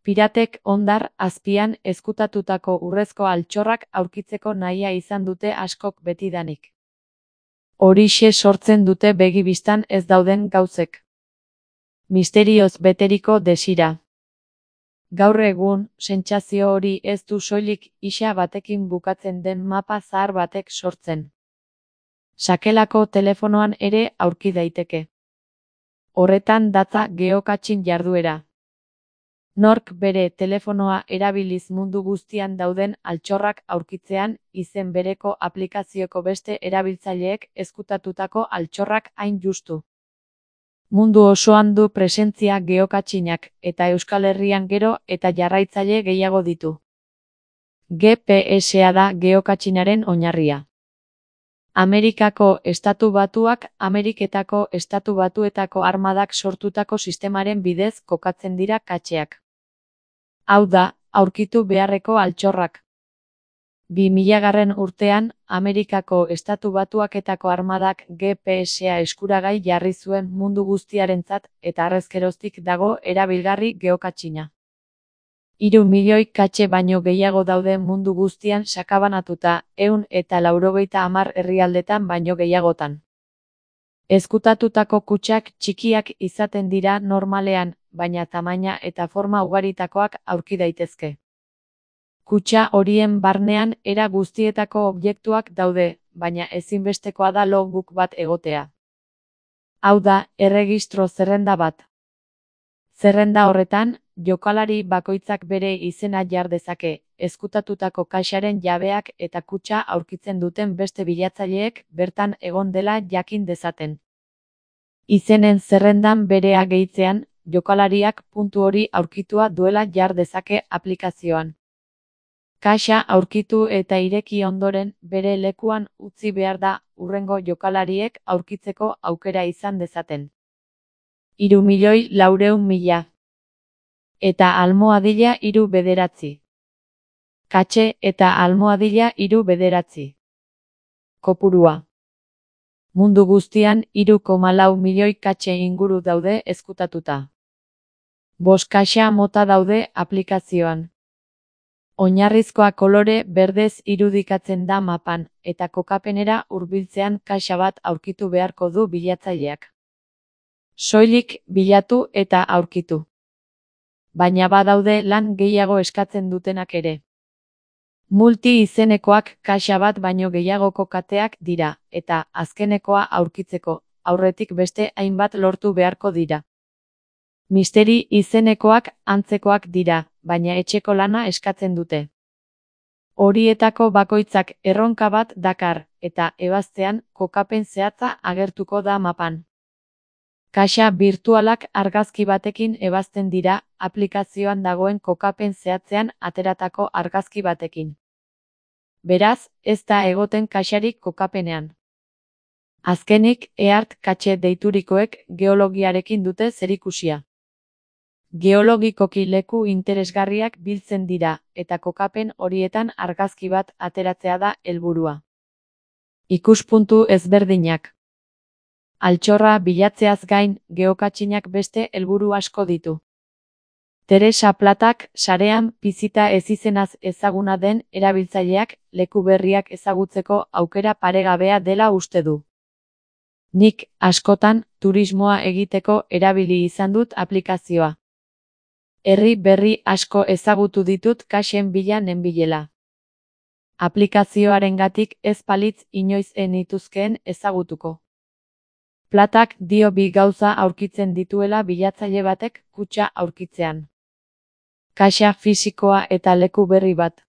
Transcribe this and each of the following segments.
Piratek hondar azpian ezkutatutako urrezko altxorrak aurkitzeko nahia izan dute askok betidanik. Horixe sortzen dute begi bistan ez dauden gauzek. Misterioz beteriko desira. Gaur egun, sentsazio hori ez du soilik isa batekin bukatzen den mapa zahar batek sortzen. Sakelako telefonoan ere aurki daiteke. Horretan datza geokatxin jarduera. Nork bere telefonoa erabiliz mundu guztian dauden altxorrak aurkitzean izen bereko aplikazioko beste erabiltzaileek ezkutatutako altxorrak hain justu. Mundu osoan du presentzia geokatxinak eta Euskal Herrian gero eta jarraitzaile gehiago ditu. GPS-a da geokatxinaren oinarria. Amerikako Estatu Batuak Ameriketako Estatu Batuetako armadak sortutako sistemaren bidez kokatzen dira katxeak. Hau da, aurkitu beharreko altxorrak. 2000. urtean, Amerikako Estatu Batuaketako armadak GPS-a eskuragai jarri zuen mundu guztiarentzat eta harrezkeroztik dago erabilgarri geokatxina. 3 milioi katxe baino gehiago daude mundu guztian sakabanatuta, 190 herrialdetan baino gehiagotan. Ezkutatutako kutxak txikiak izaten dira normalean, baina tamaina eta forma ugaritakoak aurki daitezke. Kutxa horien barnean era guztietako objektuak daude, baina ezinbestekoa da logbook bat egotea. Hau da, erregistro zerrenda bat. Zerrenda horretan, jokalari bakoitzak bere izena jar dezake, ezkutatutako kaxaren jabeak eta kutxa aurkitzen duten beste bilatzaileek bertan egon dela jakin dezaten. Izenen zerrendan berea gehitzean, jokalariak puntu hori aurkitua duela jar dezake aplikazioan. Kaxa aurkitu eta ireki ondoren bere lekuan utzi behar da hurrengo jokalariek aurkitzeko aukera izan dezaten. 3.400.000. Eta almohadilla 3 Katxe eta almohadilla 3 Kopurua. Mundu guztian 3,4 milioi katxe inguru daude ezkutatuta. 5 kaxa mota daude aplikazioan. Oinarrizkoa kolore berdez irudikatzen da mapan, eta kokapenera hurbiltzean kaxa bat aurkitu beharko du bilatzaileak. Soilik bilatu eta aurkitu. Baina badaude lan gehiago eskatzen dutenak ere. Multi izenekoak kaxa bat baino gehiagoko kateak dira, eta azkenekoa aurkitzeko, aurretik beste hainbat lortu beharko dira. Misteri izenekoak antzekoak dira, baina etxeko lana eskatzen dute. Horietako bakoitzak erronka bat dakar, eta ebaztean kokapen zehatza agertuko da mapan. Kaxa birtualak argazki batekin ebazten dira, aplikazioan dagoen kokapen zehatzean ateratako argazki batekin. Beraz, ez da egoten kaxarik kokapenean. Azkenik, EART katxe deiturikoek geologiarekin dute zerikusia. Geologikoki leku interesgarriak biltzen dira, eta kokapen horietan argazki bat ateratzea da helburua. Ikuspuntu ezberdinak. Altxorra bilatzeaz gain, geokatxinak beste helburu asko ditu. Teresa Platak sarean pizita ezizenaz ezaguna den erabiltzaileak leku berriak ezagutzeko aukera paregabea dela uste du. Nik, askotan, turismoa egiteko erabili izan dut aplikazioa. Herri berri asko ezagutu ditut kaxen bila nenbilela. Aplikazioarengatik ez palitz inoiz nituzkeen ezagutuko. Platak dio bi gauza aurkitzen dituela bilatzaile batek kutxa aurkitzean. Kaxa fisikoa eta leku berri bat.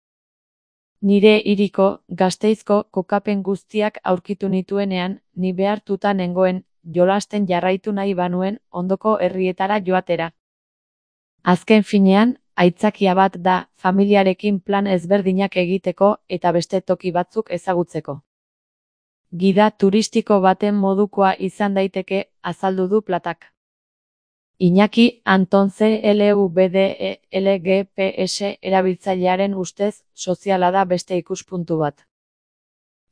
Nire hiriko, Gasteizko kokapen guztiak aurkitu nituenean, ni behartuta nengoen, jolasten jarraitu nahi banuen, ondoko herrietara joatera. Azken finean, aitzakia bat da, familiarekin plan ezberdinak egiteko eta beste toki batzuk ezagutzeko. Gida turistiko baten modukoa izan daiteke, azaldu du Platak. Iñaki Anton CLVDELGPS erabiltzailearen ustez, soziala da beste ikuspuntu bat.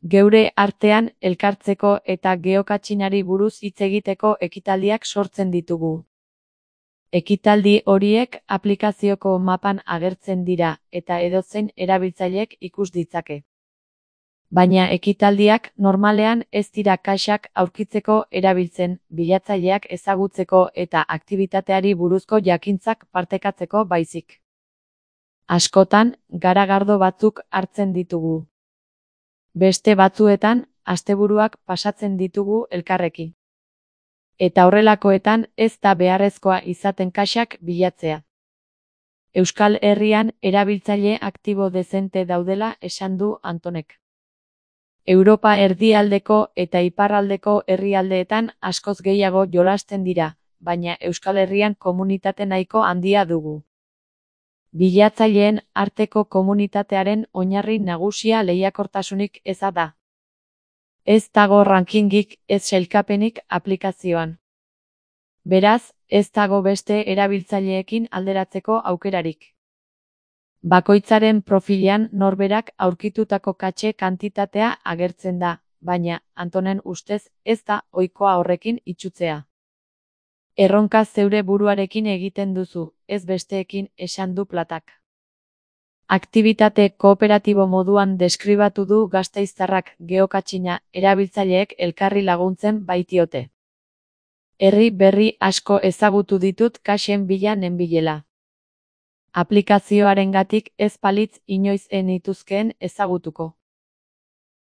Geure artean elkartzeko eta geokatxinari buruz hitz egiteko ekitaldiak sortzen ditugu. Ekitaldi horiek aplikazioko mapan agertzen dira eta edozein erabiltzailek ikus ditzake. Baina ekitaldiak normalean ez dira kaxak aurkitzeko erabiltzen, bilatzaileak ezagutzeko eta aktibitateari buruzko jakintzak partekatzeko baizik. Askotan, garagardo batzuk hartzen ditugu. Beste batzuetan, asteburuak pasatzen ditugu elkarrekin. Eta horrelakoetan ez da beharrezkoa izaten kaxak bilatzea. Euskal Herrian erabiltzaile aktibo dezente daudela esan du Antonek. Europa erdialdeko eta iparraldeko herrialdeetan askoz gehiago jolasten dira, baina Euskal Herrian komunitate nahiko handia dugu. Bilatzaileen arteko komunitatearen oinarri nagusia lehiakortasunik eza da. Ez dago rankingik, ez sailkapenik aplikazioan. Beraz, ez dago beste erabiltzaileekin alderatzeko aukerarik. Bakoitzaren profilean norberak aurkitutako katxe kantitatea agertzen da, baina, Antonen ustez, ez da ohikoa horrekin itsutzea. Erronka zeure buruarekin egiten duzu, ez besteekin, esan du Platak. Aktibitate kooperatibo moduan deskribatu du gasteiztarrak geokatxina erabiltzaileek elkarri laguntzen baitiote. Herri berri asko ezagutu ditut kaxen bila nenbilela. Aplikazioarengatik ez palitz inoiz enituzkeen ezagutuko.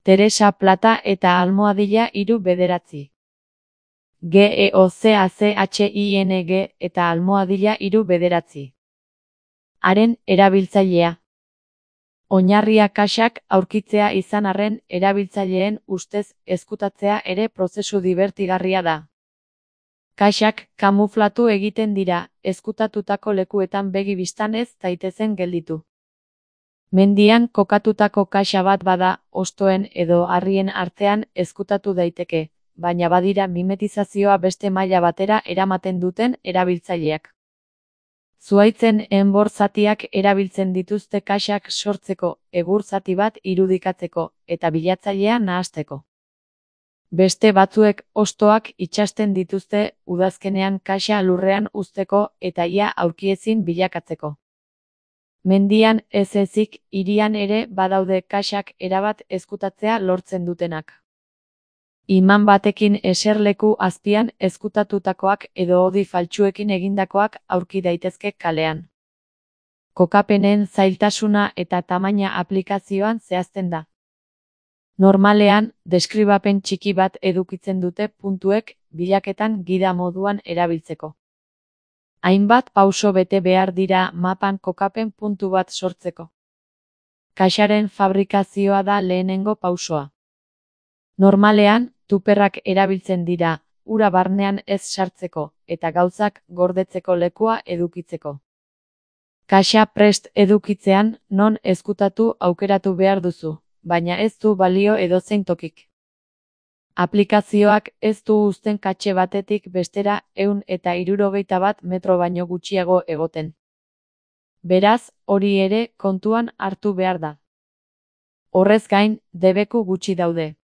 Teresa Plata eta almohadilla 3 GEOCACHING eta almohadilla 3. Haren erabiltzailea. Oinarria kaxak aurkitzea izan arren erabiltzaileen ustez ezkutatzea ere prozesu dibertigarria da. Kaxak kamuflatu egiten dira, ezkutatutako lekuetan begi bistan ez daitezen gelditu. Mendian kokatutako kaxa bat bada, hostoen edo harrien artean ezkutatu daiteke, baina badira mimetizazioa beste maila batera eramaten duten erabiltzaileak. Zuhaitzen enbor zatiak erabiltzen dituzte kaxak sortzeko, egur zati bat irudikatzeko, eta bilatzailea nahasteko. Beste batzuek hostoak itsasten dituzte udazkenean kaxa lurrean uzteko eta ia aurkiezin bilakatzeko. Mendian ez ezik, hirian ere badaude kaxak erabat ezkutatzea lortzen dutenak. Iman batekin eserleku azpian ezkutatutakoak edo hodi faltsuekin egindakoak aurki daitezke kalean. Kokapenen zailtasuna eta tamaina aplikazioan zehazten da. Normalean, deskribapen txiki bat edukitzen dute puntuek bilaketan gida moduan erabiltzeko. Hainbat pauso bete behar dira mapan kokapen puntu bat sortzeko. Kaxaren fabrikazioa da lehenengo pausoa. Normalean, tuperrak erabiltzen dira, ura barnean ez sartzeko, eta gauzak gordetzeko lekua edukitzeko. Kaxa prest edukitzean, non ezkutatu aukeratu behar duzu, baina ez du balio edozein tokik. Aplikazioak ez du uzten katxe batetik bestera 161 metro baino gutxiago egoten. Beraz, hori ere kontuan hartu behar da. Horrez gain, debeku gutxi daude.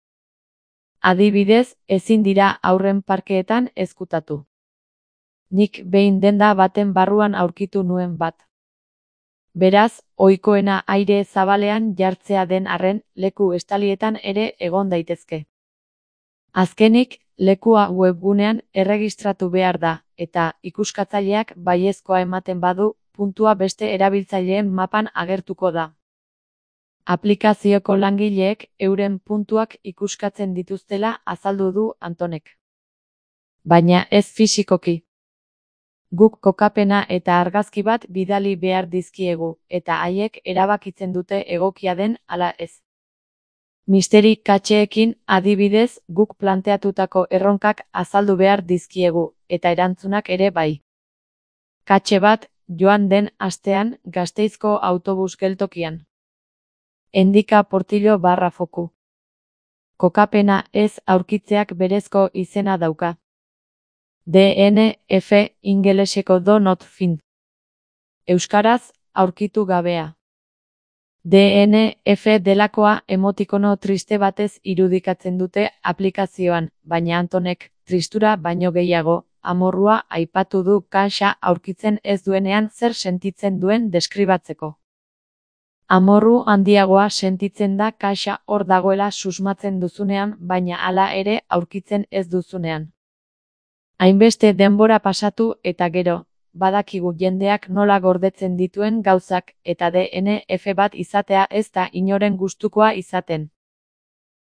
Adibidez, ezin dira haurren parkeetan ezkutatu. Nik behin denda baten barruan aurkitu nuen bat. Beraz, ohikoena aire zabalean jartzea den arren, leku estalietan ere egon daitezke. Azkenik, lekua webgunean erregistratu behar da, eta ikuskatzaileak baiezkoa ematen badu, puntua beste erabiltzaileen mapan agertuko da. Aplikazioko langileek euren puntuak ikuskatzen dituztela azaldu du Antonek. Baina ez fisikoki. Guk kokapena eta argazki bat bidali behar dizkiegu, eta haiek erabakitzen dute egokia den ala ez. Misteri katxeekin adibidez guk planteatutako erronkak azaldu behar dizkiegu, eta erantzunak ere bai. Katxe bat, joan den astean Gasteizko autobus geltokian. Endika Portillo /foku. Kokapena ez aurkitzeak berezko izena dauka. DNF ingeleseko do not find. Euskaraz, aurkitu gabea. DNF delakoa emotikono triste batez irudikatzen dute aplikazioan, baina Antonek, tristura baino gehiago, amorrua aipatu du kaxa aurkitzen ez duenean zer sentitzen duen deskribatzeko. Amorru handiagoa sentitzen da kaxa hor dagoela susmatzen duzunean, baina hala ere aurkitzen ez duzunean. Hainbeste denbora pasatu eta gero, badakigu jendeak nola gordetzen dituen gauzak, eta DNF bat izatea ez da inoren gustukoa izaten.